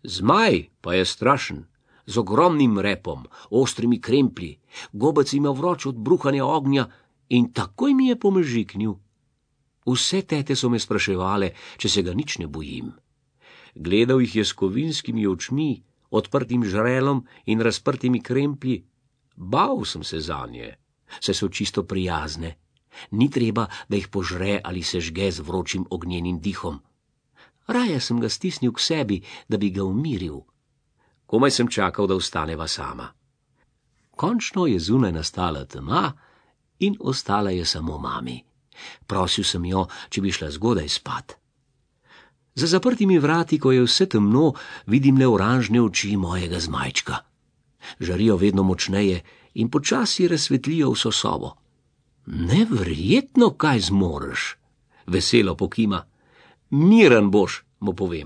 Zmaj pa je strašen, z ogromnim repom, ostrimi kremplji, gobec ima vroč od bruhanja ognja in takoj mi je pomežiknil. Vse tete so me spraševale, če se ga nič ne bojim. Gledal jih je s kovinskimi očmi, odprtim žrelom in razprtimi kremplji. Bal sem se zanje, saj so čisto prijazne. Ni treba, da jih požre ali se žge z vročim ognjenim dihom. Raje sem ga stisnil k sebi, da bi ga umiril. Komaj sem čakal, da vstaneva sama. Končno je zunaj nastala tema in ostala je samo mami. Prosil sem jo, če bi šla zgodaj spat. Za zaprtimi vrati, ko je vse temno, vidim le oranžne oči mojega zmajčka. Žarijo vedno močneje in počasi razsvetlijo vso sobo. Neverjetno, kaj zmoreš, veselo pokima. Miren boš, mu povem.